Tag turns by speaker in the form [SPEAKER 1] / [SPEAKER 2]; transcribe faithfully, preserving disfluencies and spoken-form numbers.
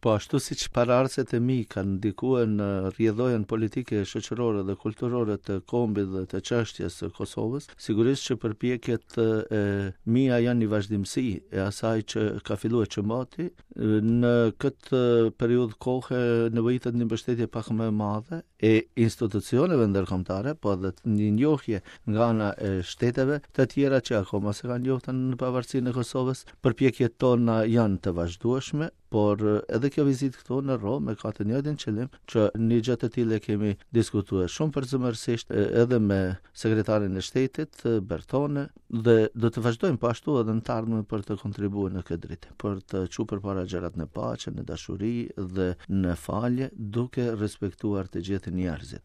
[SPEAKER 1] Po ashtu siç paraardhësit e mi kanë ndikuar në rrjedhojën politike, shoqërore dhe kulturore të kombit dhe të çështjes së Kosovës, sigurisht që përpjekjet e mia janë një vazhdimësi e asaj që ka filluar që mati. Në këtë periudhë kohe nevojitet një mbështetje pak më e madhe e institucioneve ndërkombëtare, po edhe një njohje nga ana e shteteve të tjera që akoma s'e kanë njohur në pavarësinë e Kosovës. Përpjekjet tona janë të vazhdueshme, por edhe kjo vizitë këtu në Romë ka të njëjtin qëllim, që një gjë të tillë e kemi diskutuar shumë përzemërsisht edhe me sekretarin e shtetit Bertone dhe do të vazhdojmë po ashtu edhe në të ardhmen për të kontribuar në këtë drejtim, për të çuar përpara gjërat në paqe, në dashuri dhe në falje, duke respektuar të gjithë njerëzit.